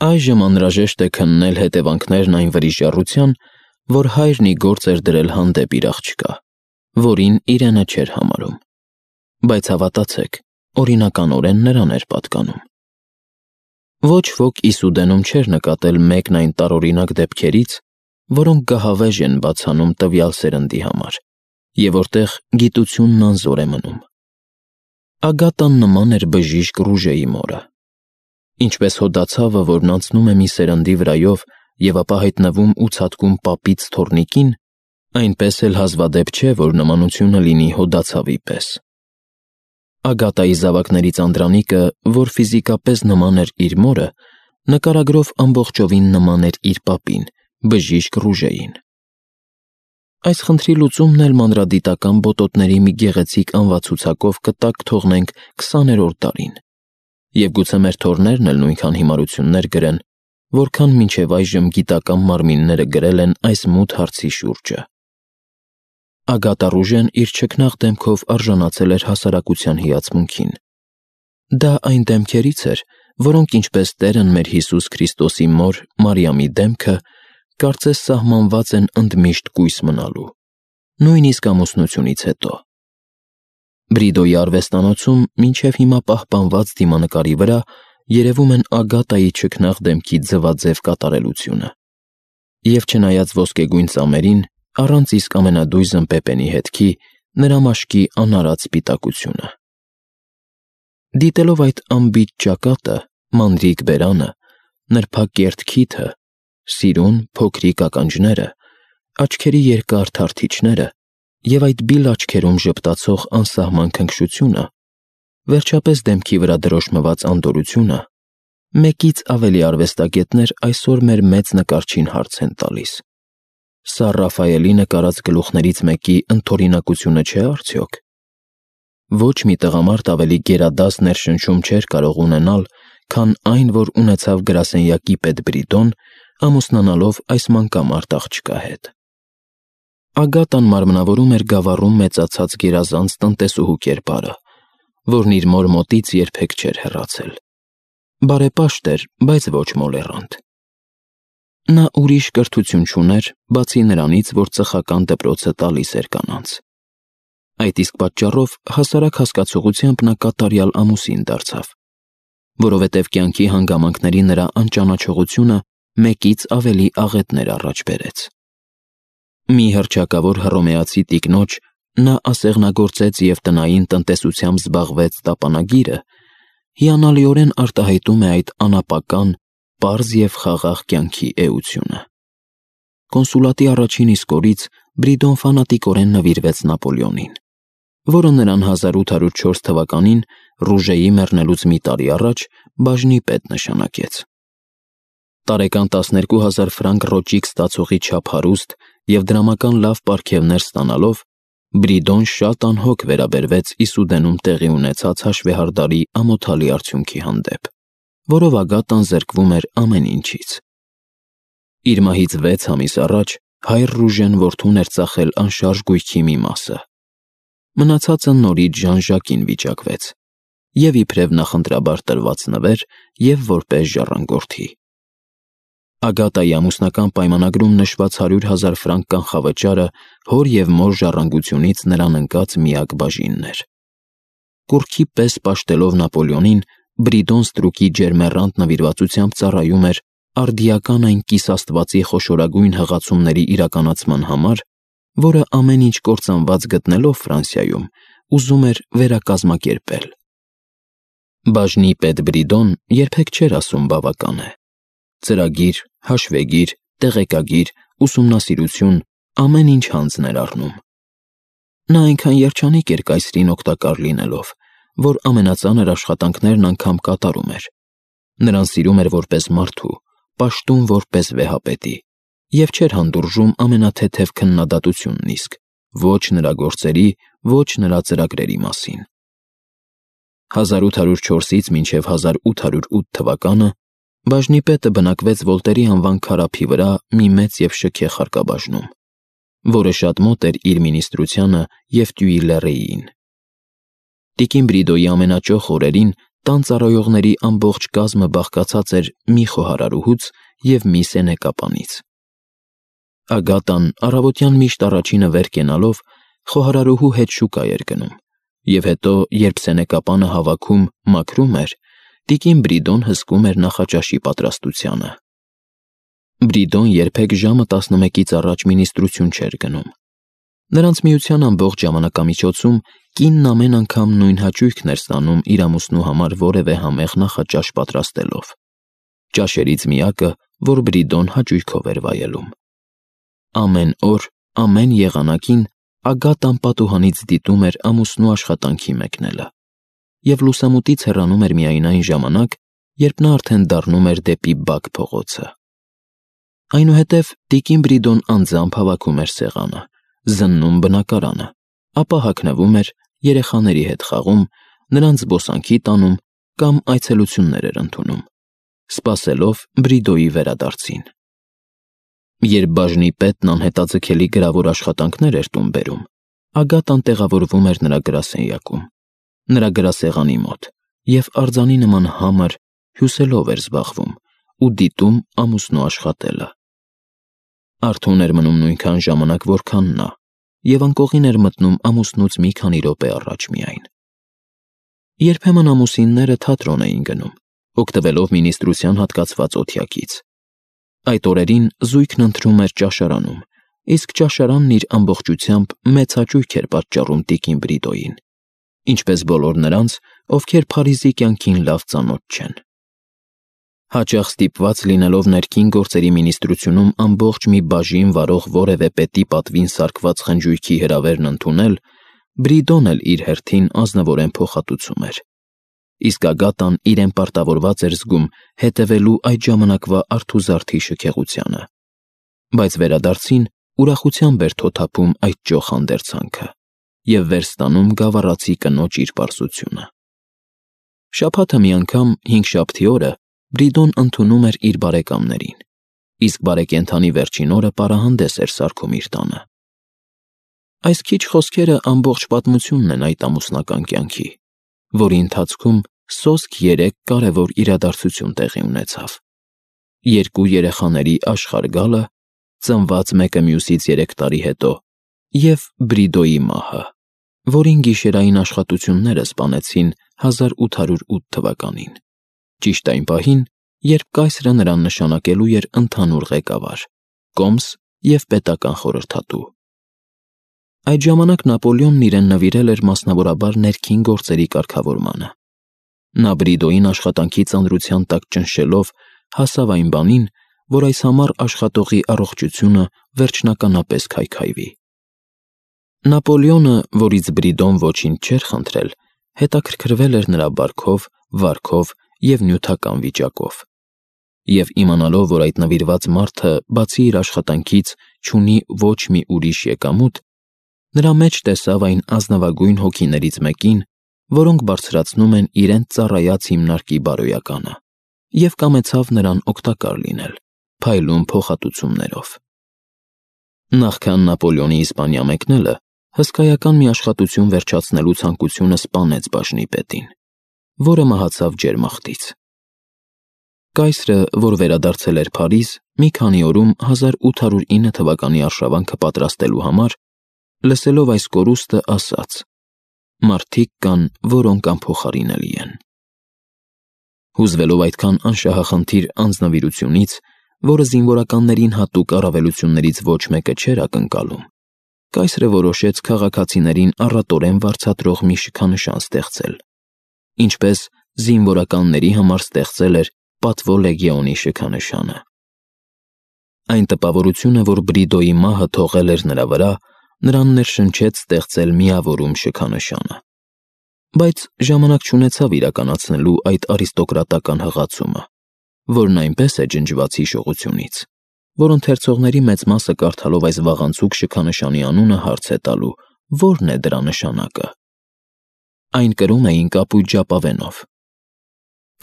Այժմ անհրաժեշտ է քննել հետևանքներն այն վրիժառության, որ հայրն ի գործ էր դրել հանդեպ իր աղջկա, որին իրենը չէր համարում, բայց հավատացեք, օրինականորեն նրան էր պատկանում։ Ոչ ոք Իսուդենում չէր նկատել մեկն այն տարօրինակ դեպքերից, որոնք գահավեժ են բացանում տվյալ սերնդի համար, և որտեղ գիտությունն անզոր է մնում։ Ագատան նման էր բժիշկ Ռուժեի մորը։ Ինչպես հոդացավը, որն անցնում է մի սերնդի վրայով և ապա հայտնվում ու ցատկում պապից թոռնիկին, այնպես էլ հազվադեպ չէ, որ նմանությունը լինի հոդացավի պես։ Ագատայի զավակներից Անդրանիկը, որ ֆիզիկապես նման էր իր մորը, նկարագրով ամբողջովին նման էր իր պապին, բժիշկ Ռուժեին։ Այս խնդրի լուծումն էլ մանրադիտական բոտոտների մի գեղեցիկ անվացուցակով կտակ թողնենք 20-րդ դարին, և գուցե մեր թոռներն էլ նույնքան հիմարություններ գրեն, որքան մինչև այժմ գիտական մարմինները գրել են այս մութ հարցի շուրջը։ Ագատա Ռուժեն իր չքնաղ դեմքով արժանացել էր հասարակության հիացմունքին։ Դա այն դեմքերից էր, որոնք ինչպես Տերն մեր Հիսուս Քրիստոսի մոր Մարիամի դեմքը, կարծես սահմանված են ընդմիշտ կույս մնալու, նույնիսկ ամուսնությունից հետո։ Բրիդոյի արվեստանոցում մինչև հիմա պահպանված դիմանկարի վրա երևում են Ագատայի չքնաղ դեմքի ձվաձև կատարելությունը, և չնայած ոսկեգույն ծամերին, առանց իսկ ամենադույզն պեպենի հետքի, նրա մաշկի անարատ սպիտակությունը։ Դիտելով այդ անբիճ ճակատը, մանրիկ բերանը, նրբակերտ քիթը, սիրուն, փոքրիկ ականջները, աչքերի երկար թարթիչները և այդ բիլ աչքերում ժպտացող անսահման քնքշությունը, վերջապես դեմքի վրա դրոշմված անդորրությունը, մեկից ավելի արվեստագետներ այսօր մեր մեծ նկարչին հարց են տալիս. սա Ռաֆայելի նկարած գլուխներից մեկի ընդօրինակությունը չէ՞ արդյոք։ Ոչ մի տղամարդ ավելի գերադաս ներշնչում չէր կարող ունենալ, քան այն, որ ունեցավ գրասենյակի պետ Բրիդոն, ամուսնանալով այս մանկամարդ աղջկա հետ։ Ագատան մարմնավորում էր գավառում մեծացած գերազանց տնտեսուհու կերպարը, որն իր մոր մոտից երբեք չէր հեռացել։ Բարեպաշտ էր, բայց ոչ մոլեռանդ։ Նա ուրիշ կրթություն չուներ, բացի նրանից, որ ծխական դպրոցը տալիս էր կանանց։ Այդ իսկ պատճառով հասարակ հասկացողությամբ նա կատարյալ ամուսին դարձավ, որովհետև կյանքի հանգամանքների նրա անճանաչողությունը մեկից ավելի աղետներ առաջ բերեց։ Մի հռչակավոր հռոմեացի տիկնոջ նա ասեղնագործեց և տնային տնտեսությամբ զբաղվեց տապանագիրը, հիանալիորեն արտահայտում է այդ անապական, պարզ և խաղաղ կյանքի էությունը։ Կոնսուլատի առաջին իսկ օրից Բրիդոն ֆանատիկորեն նվիրվեց Նապոլեոնին, որը նրան 1804 թվականին Ռուժեի մեռնելուց մի տարի առաջ բաժնի պետ նշանակեց։ Տարեկան 12,000 ֆրանկ ռոճիկ ստացողի չափ հարուստ և դրամական լավ պարգևներ ստանալով, Բրիդոն շատ անհոգ վերաբերվեց Իսուդենում տեղի ունեցած հաշվեհարդարի ամոթալի արդյունքի հանդեպ, որով Ագատան զրկվում էր ամեն ինչից։ Իր մահից 6 ամիս առաջ հայր Ռուժեն որդուն էր ծախել անշարժ գույքի մի մասը։ Մնացածը նորից Ժան-Ժակին վիճակվեց, և իբրև նախընտրաբար տրված նվեր, և որպես ժառանգորդի։ Ագատայի ամուսնական պայմանագրում նշված 100,000 ֆրանկ կանխավճարը հոր և մոր ժառանգությունից նրան ընկած միակ բաժինն էր։ Կուռքի պես պաշտելով Նապոլեոնին, Բրիդոն ստրուկի ջերմեռանդ նվիրվածությամբ ծառայում էր արդիական այն կիսաստվածի խոշորագույն հղացումների իրականացման համար, որը ամեն ինչ կործանված գտնելով Ֆրանսիայում, ուզում էր վերակազմակերպել։ Բաժնի պետ Բրիդոն երբեք չէր ասում բավական է։ Ծրագիր, հաշվեգիր, տեղեկագիր, ուսումնասիրություն, ամեն ինչ հանձն էր առնում։ Նա այնքան երջանիկ էր կայսրին օգտակար լինելով, որ ամենածանր աշխատանքներն անգամ կատարում էր։ Նրան սիրում էր որպես մարդու, պաշտում որպես վեհապետի, և չէր հանդուրժում ամենաթեթև քննադատությունն իսկ, ոչ նրա գործերի, ոչ նրա ծրագրերի մասին։ 1804-ից մինչև 1808 թվականը բաժնի պետը բնակվեց Վոլտերի անվան քարափի վրա մի մեծ և շքեղ հարկաբաժնում, որը շատ մոտ էր իր մինիստրությանը և Տյուիլերիին։ Տիկին Բրիդոյի ամենաճոխ օրերին տան ծառայողների ամբողջ կազմը բաղկացած էր մի խոհարարուհուց և մի սենեկապանից։ Ագատան առավոտյան միշտ առաջինը վեր կենալով խոհարարուհու հետ շուկա էր գնում, և հետո, երբ սենեկապանը հավաքում, մաքրում էր, տիկին Բրիդոն հսկում էր նախաճաշի պատրաստությանը։ Բրիդոն երբեք ժամը 11-ից առաջ մինիստրություն չէր գնում։ Նրանց միության ամբողջ ժամանակամիջոցում կինն ամեն անգամ նույն հաճույքն էր ստանում իր ամուսնու համար որևէ համեղ նախաճաշ պատրաստելով։ Ճաշերից միակը, որ Բրիդոն հաճույքով էր վայելում։ Ամեն օր, ամեն եղանակին Ագատան պատուհանից դիտում էր ամուսնու աշխատանքի մեկնելը, և լուսամուտից հեռանում էր միայն այն ժամանակ, երբ նա արդեն դառնում էր դեպի բակ փողոցը։ Այնուհետև տիկին Բրիդոն անձամբ հավաքում էր սեղանը, զննում բնակարանը, ապա հագնվում էր, երեխաների հետ խաղում, նրանց զբոսանքի տանում կամ այցելություններ էր ընդունում, սպասելով Բրիդոյի վերադարձին։ Երբ բաժնի պետն անհետաձգելի գրավոր աշխատանքներ էր տուն բերում, Ագատան տեղավորվում էր նրա գրասենյակում, նրա գրասեղանի մոտ, և արձանի նման համր հյուսելով էր զբաղվում ու դիտում ամուսնու աշխատելը։ Արթուն էր մնում նույնքան ժամանակ, որքան նա, և անկողին էր մտնում ամուսնուց մի քանի րոպե առաջ միայն։ Երբեմն ամուսինները թատրոն էին գնում, օգտվելով մինիստրության հատկացված օթյակից։ Այդ օրերին զույգն ընթրում էր ճաշարանում, իսկ ճաշարանն իր ամբողջությամբ մեծ հաճույք էր պատճառում տիկին Բրիդոյին, ինչպես բոլոր նրանց, ովքեր Փարիզի կյանքին լավ ծանոթ չեն։ Հաճախ ստիպված լինելով ներքին գործերի մինիստրությունում ամբողջ մի բաժին վարող որևէ պետի պատվին սարքված խնջույքի հրավերն ընդունել, Բրիդոն էլ իր հերթին ազնվորեն փոխհատուցում էր, իսկ Ագատան իրեն պարտավորված էր զգում հետևելու այդ ժամանակվա արթուզարդի շքեղությանը, բայց վերադարձին ուրախությամբ էր թոթափում այդ ճոխ հանդերձանքը և վեր ստանում գավառացի կնոջ իր պարզությունը։ Շաբաթը մի անգամ, հինգշաբթի օրը, Բրիդոն ընդունում էր իր բարեկամներին, իսկ բարեկենդանի վերջին օրը պարահանդես էր սարքում իր տանը։ Այս քիչ խոսքերը ամբողջ պատմությունն են այդ ամուսնական կյանքի, որի ընթացքում սոսկ 3 կարևոր իրադարձություն տեղի ունեցավ. երկու երեխաների աշխարհ գալը, ծնված մեկը մյուսից 3 տարի հետո, և Բրիդոյի մահը, որին գիշերային աշխատությունները սպանեցին 1808 թվականին, ճիշտ այն պահին, երբ կայսրը նրան նշանակելու էր ընդհանուր ղեկավար, կոմս և պետական խորհրդատու։ Այդ ժամանակ Նապոլեոնն իրեն նվիրել էր մասնավորաբար ներքին գործերի կարգավորմանը։ Նա Բրիդոյին աշխատանքի ծանրության տակ ճնշելով հասավ այն բանին, որ այս համառ աշխատողի առողջությունը վերջնականապես քայքայվի։ Նապոլեոնը, որից Բրիդոն ոչինչ չէր խնդրել, հետաքրքրվել էր նրա բարքով, վարքով և նյութական վիճակով։ Եվ իմանալով, որ այդ նվիրված մարդը, բացի իր աշխատանքից, չունի ոչ մի ուրիշ եկամուտ, նրա մեջ տեսավ այն ազնվագույն հոգիներից մեկին, որոնք բարձրացնում են իրենց ծառայած հիմնարկի բարոյականը, և կամեցավ նրան օգտակար լինել, փայլուն փոխհատուցումներով։ Նախքան Նապոլեոնի Իսպանիա մեկնելը, հսկայական մի աշխատություն վերջացնելու ցանկությունը սպանեց բաժնի պետին, որը մահացավ ջերմախտից։ Կայսրը, որ վերադարձել էր Փարիզ, մի քանի օրում 1809 թվականի արշավանքը պատրաստելու համար, լսելով այս կորուստը, ասաց. «Մարդիկ կան, որոնք անփոխարինելի են»։ Հուզվելով այդքան անշահախնդիր անձնվիրությունից, որը զինվորականներին հատուկ առավելություններից ոչ մեկը չէր ակնկալում, կայսրը որոշեց քաղաքացիներին առատորեն վարձատրող մի շքանշան ստեղծել, ինչպես զինվորականների համար ստեղծել էր Պատվո լեգիոնի շքանշանը։ Այն տպավորությունը, որ Բրիդոյի մահը թողել էր նրա վրա, նրան ներշնչեց ստեղծել միավորում շքանշանը, բայց ժամանակ չունեցավ իրականացնելու այդ արիստոկրատական հղացումը, որն այնպես է ջնջված հիշողությունից, որ ընթերցողների մեծ մասը կարդալով այս վաղանցուկ շքանշանի անունը հարց է տալու, ո՞րն է դրա նշանակը։ Այն կրում էին կապույտ ժապավենով։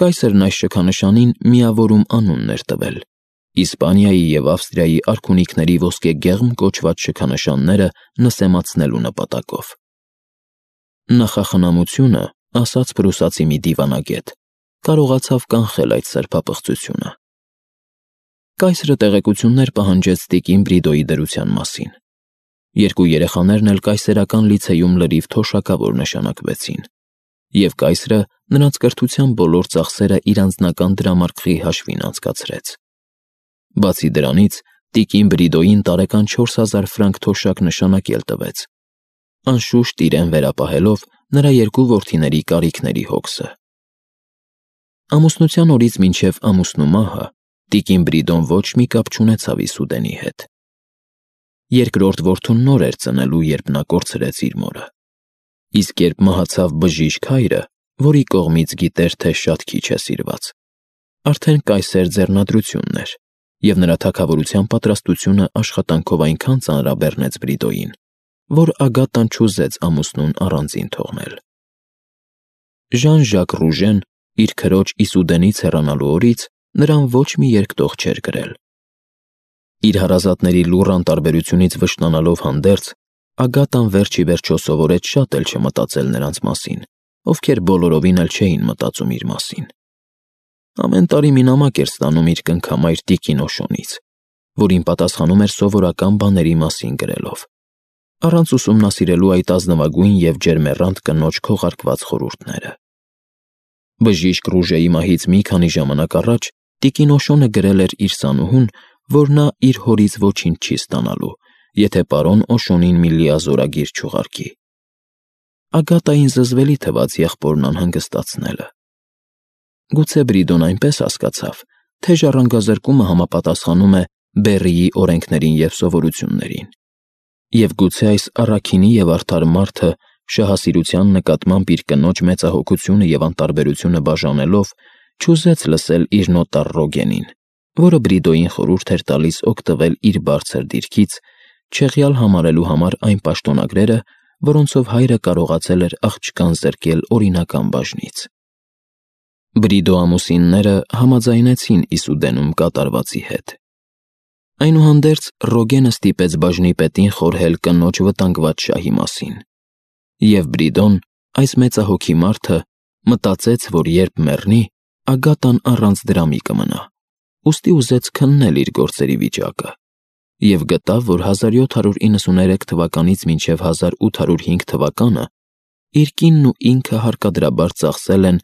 Կայսրն այս շքանշանին միավորում անունն էր տվել, Իսպանիայի և Ավստրիայի արքունիքների ոսկեգեղմ կոչված շքանշանները նսեմացնելու նպատակով։ Նախախնամությունը, ասաց պրուսացի մի դիվանագետ, կարողացավ կանխել այդ սրբապղծությունը։ Կայսրը տեղեկություններ պահանջեց տիկին Բրիդոյի դրության մասին։ Երկու երեխաներն էլ կայսերական լիցեյում լրիվ թոշակավոր նշանակվեցին, և կայսրը նրանց կրթության բոլոր ծախսերը իր անձնական դրամարկղի հաշվին անցկացրեց։ Բացի դրանից, տիկին Բրիդոյին տարեկան 4000 ֆրանկ թոշակ նշանակել տվեց, անշուշտ իրեն վերապահելով նրա երկու որդիների կարիքների հոգսը։ Ամուսնության օրից մինչև ամուսնու մահը տիկին Բրիդոն ոչ մի կապ չունեցավ Իսուդենի հետ։ Երկրորդ որդուն նոր էր ծնելու, երբ նա կորցրեց իր մորը։ Իսկ երբ մահացավ բժիշկ հայրը, որի կողմից գիտեր, թե շատ քիչ է սիրված, արդեն կայսեր ձեռնադրությունն էր, և նրա թագավորության պատրաստությունը աշխատանքով այնքան ծանրաբեռնեց Բրիդոյին, որ Ագատան չուզեց ամուսնուն առանձին թողնել։ Ժան-Ժակ Ռուժեն իր քրոջ Իսուդենից հեռանալու օրից նրան ոչ մի երկտող չէր կրել։ Իր հարազատների լուռ անտարբերությունից վշտանալով հանդերձ, Ագատան վերջ ի վերջո սովորեց շատ էլ չմտածել նրանց մասին, ովքեր բոլորովին էլ չէին մտածում իր մասին։ Ամեն տարի մի նամակ էր ստանում իր կնքամայր տիկին Օշոնից, որին պատասխանում էր սովորական բաների մասին գրելով, առանց ուսումնասիրելու այդ ազնվագույն և ջերմեռանդ կնոջ քողարկված խորհուրդները։ Բժիշկ Ռուժեի մահից մի քանի ժամանակ առաջ տիկին Օշոնը գրել էր իր սանուհուն, որ նա իր հորից ոչինչ չի ստանալու, եթե պարոն Օշոնին մի լիազորագիր չուղարկի։ Ագատային զզվելի թվաց եղբորն անհանգստացնելը։ Գուցե Բրիդոն այնպես հասկացավ, թե ժառանգազրկումը համապատասխանում է Բեռիի օրենքներին և սովորություններին, և գուցե այս առաքինի և արդար մարդը շահասիրության նկատմամբ իր կնոջ մեծահոգությունը և անտարբերությունը բաժանելով, չուզեց լսել իր նոտար Ռոգենին, որը Բրիդոյին խորհուրդ էր տալիս օգտվել իր բարձր դիրքից, չեղյալ համարելու համար այն պաշտոնագրերը, որոնցով հայրը կարողացել էր աղջկան զրկել օրինական բաժնից։ Բրիդո ամուսինները համաձայնեցին Իսուդենում կատարվածի հետ։ Այնուհանդերձ Ռոգենը ստիպեց բաժնի պետին խորհել կնոջ վտանգված շահի մասին, և Բրիդոն, այս մեծահոգի մարդը, մտածեց, որ երբ մեռնի, Ագատան առանց դրամի կմնա, ուստի ուզեց քննել իր գործերի վիճակը, և գտավ, որ 1793 թվականից մինչև 1805 թվականը իր կինն ու ինքը հարկադրաբար ծախսել են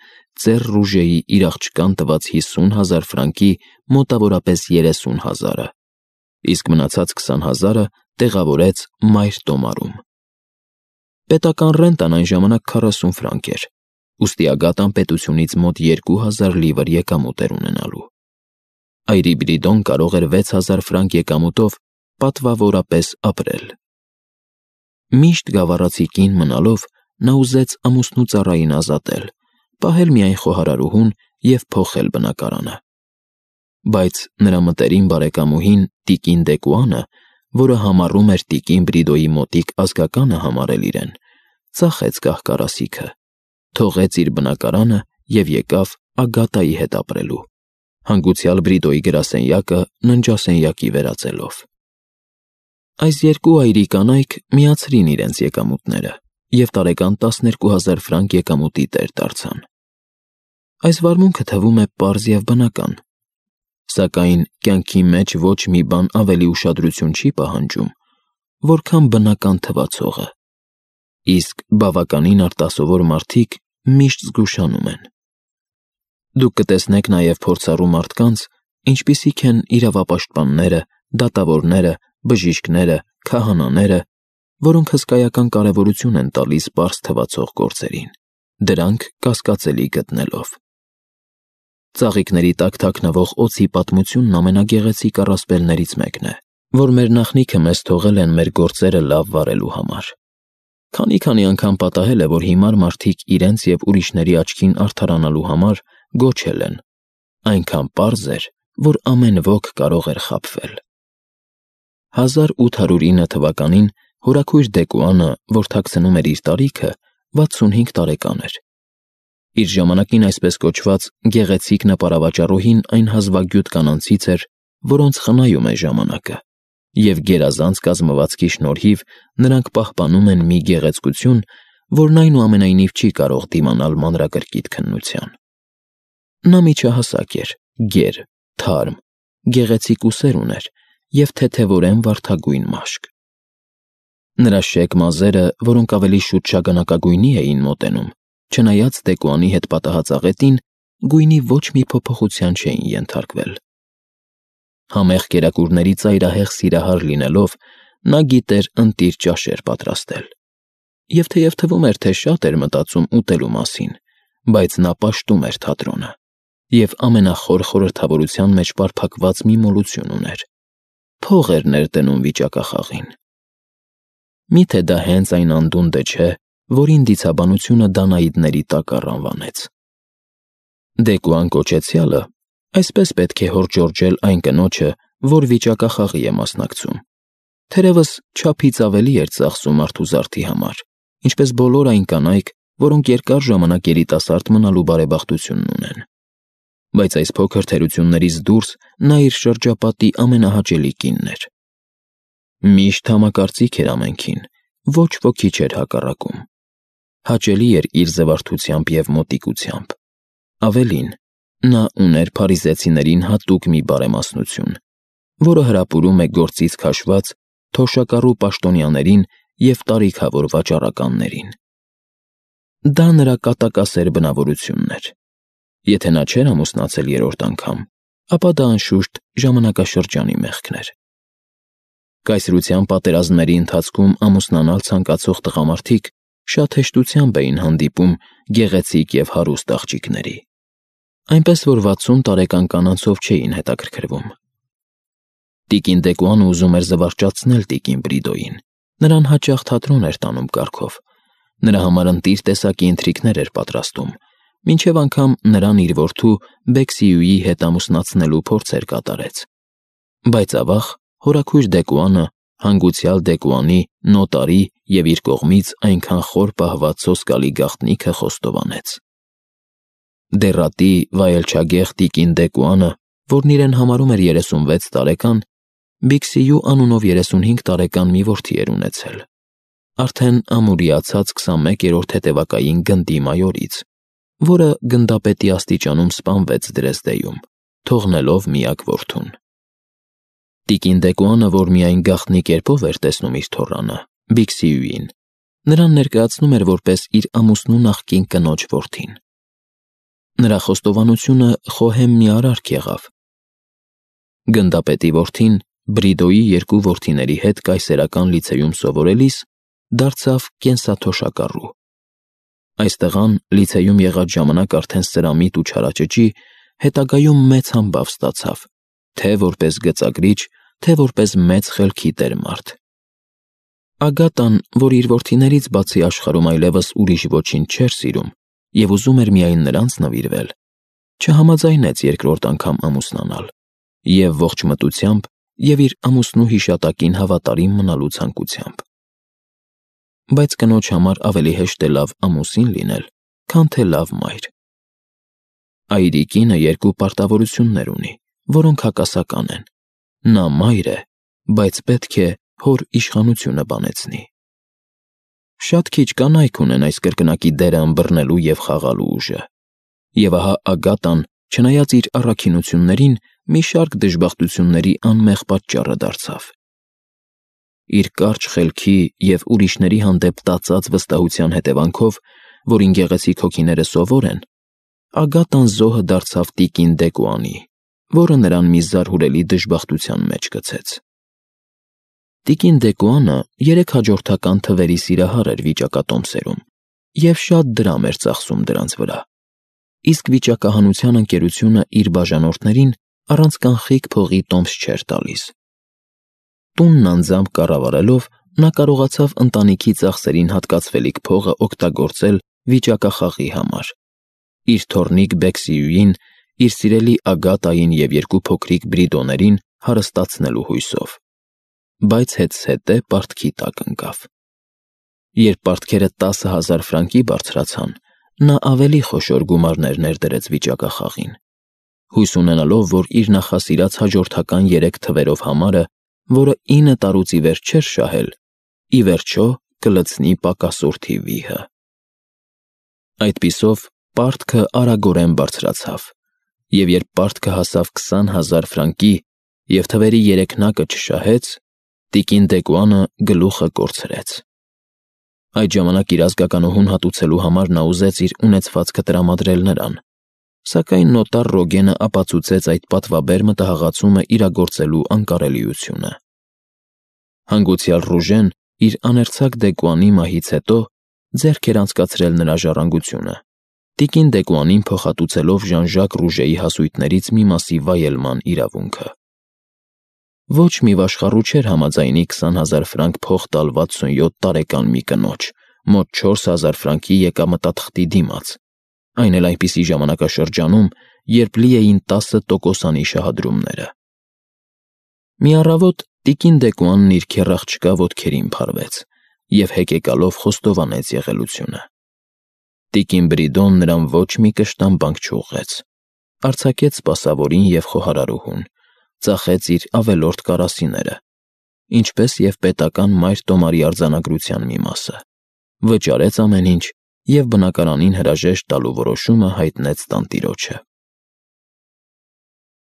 ծեր Ռուժեի իր աղջկան տված 50,000 ֆրանկի մոտավորապես 30,000-ը, իսկ մնացած 20,000-ը տեղավորեց Մայր Տոմարում։ Պետական ռենտան այն ժամանակ 40 ֆրանկ էր, ուստի Ագատան պետությունից մոտ 2000 լիվր եկամուտ էր ունենալու։ Այրի Բրիդոն կարող էր 6000 ֆրանկ եկամուտով պատվավորապես ապրել։ Միշտ գավառացի կին մնալով, նա ուզեց ամուսնու ծառային ազատել, պահել միայն խոհարարուհուն և փոխել բնակարանը։ Բայց նրա մտերիմ բարեկամուհին տիկին Դեկուանը, որը համառում էր տիկին Բրիդոյի մոտիկ ազգականը համարել իրեն, ծախեց կահ-կարասիքը, թողեց իր բնակարանը և եկավ Ագատայի հետ ապրելու, հանգուցյալ Բրիդոյի գրասենյակը ննջասենյակի վերածելով։ Այս երկու այրի կանայք միացրին իրենց եկամուտները և տարեկան 12,000 ֆրանկ եկամուտի տեր դարձան։ Այս վարմունքը թվում է պարզ և բնական, սակայն կյանքի մեջ ոչ մի բան ավելի ուշադրություն չի պահանջում, որքան բնական թվացողը, իսկ բավականին արտասովոր մարդիկ միշտ զգուշանում են։ Դուք կտեսնեք նաև փորձառու մարդկանց, ինչպիսիք են իրավապաշտպանները, դատավորները, բժիշկները, քահանաները, որոնք հսկայական կարևորություն են տալիս պարզ թվացող գործերին, դրանք կասկածելի գտնելով։ Ծաղիկների տակ թաքնվող օձի պատմությունն ամենագեղեցիկ առասպելներից մեկն է, որ մեր նախնիքը մեզ թողել են մեր գործերը լավ վարելու համար։ Քանի անգամ պատահել է, որ հիմար մարդիկ իրենց և ուրիշների աչքին արդարանալու համար գոչել են, այնքան պարզ էր, որ ամեն ոք կարող էր խաբվել։ 1809 թվականին հորաքույր Դեկուանը, որ թաքցնում էր իր տարիքը, 65 տարեկան էր։ Իր ժամանակին այսպես կոչված գեղեցիկ նպարավաճառուհին այն հազվագյուտ կանանցից էր, որոնց խնայում է ժամանակը, և գերազանց կազմվածքի շնորհիվ նրանք պահպանում են մի գեղեցկություն, որն այնուամենայնիվ չի կարող դիմանալ մանրակրկիտ քննության։ Նա միջահասակ էր, գեր, թարմ, գեղեցիկ ուսեր ուներ և թեթևորեն վարդագույն մաշկ։ Նրա շեկ մազերը, որոնք ավելի շուտ շագանակագույնի էին մոտենում, չնայած Դեկուանի հետ պատահած աղետին, գույնի ոչ մի փոփոխության չէին ենթարկվել։ Համեղ կերակուրների ծայրահեղ սիրահար լինելով, նա գիտեր ընտիր ճաշեր պատրաստել։ Եվ թեև թվում էր, թե շատ էր մտածում ուտելու մասին, բայց նա պաշտում էր թատրոնը և ամենախոր խորհրդավորության մեջ պարփակված մի մոլություն ուներ. փող էր ներդնում վիճակախաղին։ Միթե դա հենց այն անդունդը չէ, որին դիցաբանությունը Դանաիդների տակառ անվանեց։ Դեկուան կոչեցյալը այսպես պետք է հորդժորջել այն կնոջը, որ վիճակախաղի է մասնակցում։ Թերևս չափից ավելի էր ծախսում արթուզարդի համար, ինչպես բոլոր այն կանայք, որոնք երկար ժամանակ երիտասարդ մնալու բարեբախտությունն ունեն։ Բայց այս փոքր թերություններից դուրս նա իր շրջապատի ամենահաճելի կինն էր։ Միշտ համակարծիք էր ամենքին, ոչ ոքի չէր հակառակում։ Հաճելի էր իր զվարթությամբ և մոտիկությամբ։ Ավելին, նա ուներ փարիզեցիներին հատուկ մի բարեմասնություն, որը հրապուրում է գործից քաշված թոշակառու պաշտոնյաներին և տարիքավոր վաճառականներին։ Դա նրա կատակասեր բնավորությունն էր։ Եթե նա չէր ամուսնացել երրորդ անգամ, ապա դա անշուշտ ժամանակաշրջանի մեղքն էր։ Կայսրության պատերազմների ընթացքում ամուսնանալ ցանկացող տղամարդիկ շատ հեշտությամբ էին հանդիպում գեղեցիկ և հարուստ աղջիկների, այնպես որ 60 տարեկան կանանցով չէին հետաքրքրվում։ Տիկին Դեկուանը ուզում էր զվարճացնել տիկին Բրիդոյին, նրան հաճախ թատրոն էր տանում կարգով, նրա համար ընտիր տեսակի ընթրիքներ էր պատրաստում, մինչև անգամ նրան իր որդու Բեքսիուի հետ ամուսնացնելու փորձեր կատարեց։ Բայց ավաղ հորաքույր Դեկուանը հանգուցյալ Դեկուանի նոտարի և իր կողմից այնքան խոր պահված սոսկալի գաղտնիքը խոստովանեց։ Դեռատի վայելչագեղ տիկին Դեկուանը, որն իրեն համարում էր 36 տարեկան, Բիքսիու անունով 35 տարեկան մի որդի էր ունեցել, արդեն ամուրիացած 21-րդ հետևակային գնդի մայորից, որը գնդապետի աստիճանում սպանվեց Դրեզդեյում, թողնելով միակ որդուն։ Տիկին Դեկուանը, որ միայն գաղտնի կերպով էր տեսնում իր թոռանը, Բիքսիուին, նրան ներկայացնում էր որպես իր ամուսնու նախկին կնոջ որդին։ Նրա խոստովանությունը խոհեմ մի արարք եղավ։ Գնդապետի որդին Բրիդոյի երկու որդիների հետ կայսերական լիցեյում սովորելիս դարձավ կենսաթոշակառու։ Այս տղան լիցեյում եղած ժամանակ արդեն սրամիտ ու չարաճճի, հետագայում մեծ համբավ ստացավ, թե որպես գծագրիչ, թե որպես մեծ խելքի տեր-մարդ։ Ագատան, որ իր որդիներից բացի աշխարհում այլևս ուրիշ ոչինչ չէր սիրում և ուզում էր միայն նրանց նվիրվել, չհամաձայնեց երկրորդ անգամ ամուսնանալ և ողջ մտությամբ և իր ամուսնու հիշատակին հավատարիմ մնալու ցանկությամբ։ Բայց կնոջ համար ավելի հեշտ է լավ ամուսին լինել, քան թե լավ մայր։ Այրի կինը երկու պարտավորություններ ունի, որոնք հակասական են։ Նա մայր է, բայց պետք է հոր իշխանությունը բանեցնի։ Շատ քիչ կանայք ունեն այս կրկնակի դերը ըմբռնելու և խաղալու ուժը։ Եվ ահա Ագատան, չնայած իր առաքինություններին, մի շարք դժբախտությունների անմեղ պատճառը դարձավ։ Իր կարճ խելքի և ուրիշների հանդեպ տածած վստահության հետևանքով, որին գեղեցիկ հոգիները սովոր են, Ագատան զոհը դարձավ տիկին Դեկուանի, որը նրան մի զարհուրելի դժբախտության մեջ գցեց։ Տիկին Դեկուանը 3 հաջորդական թվերի սիրահար էր վիճակատոմսերում և շատ դրամ էր ծախսում դրանց վրա, իսկ վիճակահանության ընկերությունը իր բաժանորդներին առանց կանխիկ փողի տոմս չէր տալիս։ Տունն անձամբ կառավարելով, նա կարողացավ ընտանիքի ծախսերին հատկացվելիք փողը օգտագործել վիճակախաղի համար, իր թոռնիկ Բեքսիուին, իր սիրելի Ագատային և երկու փոքրիկ Բրիդոներին հարստացնելու հույսով։ Բայց հետզհետե պարտքի տակ ընկավ։ Երբ պարտքերը 10,000 ֆրանկի բարձրացան, նա ավելի խոշոր գումարներ ներդրեց վիճակախաղին, հույս ունենալով, որ իր նախասիրած հաջորդական 3 թվերով համարը, որը 9 տարուց ի վեր չէր շահել, ի վերջո կլցնի պակասորթի վիհը։ Այդպիսով պարտքը արագորեն բարձրացավ, և երբ պարտքը հասավ 20,000 ֆրանկի և թվերի երեքնակը չշահեց, տիկին Դեկուանը գլուխը կորցրեց։ Այդ ժամանակ իր ազգականուհուն հատուցելու համար նա ուզեց իր ունեցվածքը տրամադրել նրան, սակայն նոտար Ռոգենը ապացուցեց այդ պատվաբեր մտահղացումը իրագործելու անկարելիությունը։ Հանգուցյալ Ռուժեն իր աներցակ Դեկուանի մահից հետո ձեռք էր անցկացրել նրա ժառանգությունը, տիկին Դեկուանին փոխհատուցելով Ժան-Ժակ Ռուժեի հասույթներից մի մասի վայելման իրավունքը։ Ոչ մի վաշխառու չէր համաձայնի 20,000 ֆրանկ փող տալ 67 տարեկան մի կնոջ, մոտ 4,000 ֆրանկի եկամտաթղթի դիմաց, այն էլ այնպիսի ժամանակաշրջանում, երբ լի էին 10%-անի շահադրումները։ Մի առավոտ տիկին Դեկուանն իր քեռ-աղջկա ոտքերին փարվեց և հեկեկալով խոստովանեց եղելությունը։ Տիկին Բրիդոն նրան ոչ մի կշտամբանք չուղղեց, արձակեց սպասավորին և խոհարարուհուն, ծախեց իր ավելորդ կարասիները, ինչպես և պետական մայր-տոմարի արձանագրության մի մասը, վճարեց ամեն ինչ և բնակարանին հրաժեշտ տալու որոշումը հայտնեց տանտիրոջը։